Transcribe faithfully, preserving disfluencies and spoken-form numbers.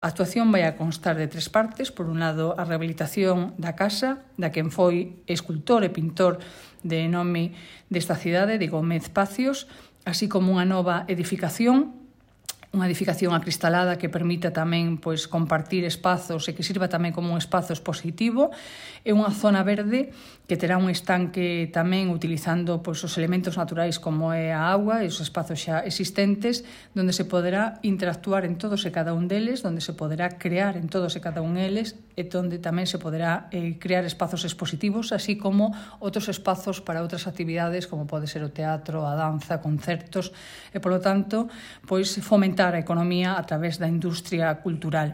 A actuación vai a constar de tres partes. Por un lado, a rehabilitación da casa, da quen foi escultor e pintor de nome desta cidade, de Gómez Pacios, así como unha nova edificación, unha edificación acristalada que permita tamén pois, compartir espazos e que sirva tamén como un espazo expositivo, e unha zona verde que terá un estanque tamén utilizando pois, os elementos naturais como é a auga e os espazos xa existentes, donde se poderá interactuar en todos e cada un deles, donde se poderá crear en todos e cada un deles, e donde tamén se poderá eh, crear espazos expositivos, así como outros espazos para outras actividades, como pode ser o teatro, a danza, concertos, e, polo tanto, pois, fomentar a economía a través da industria cultural.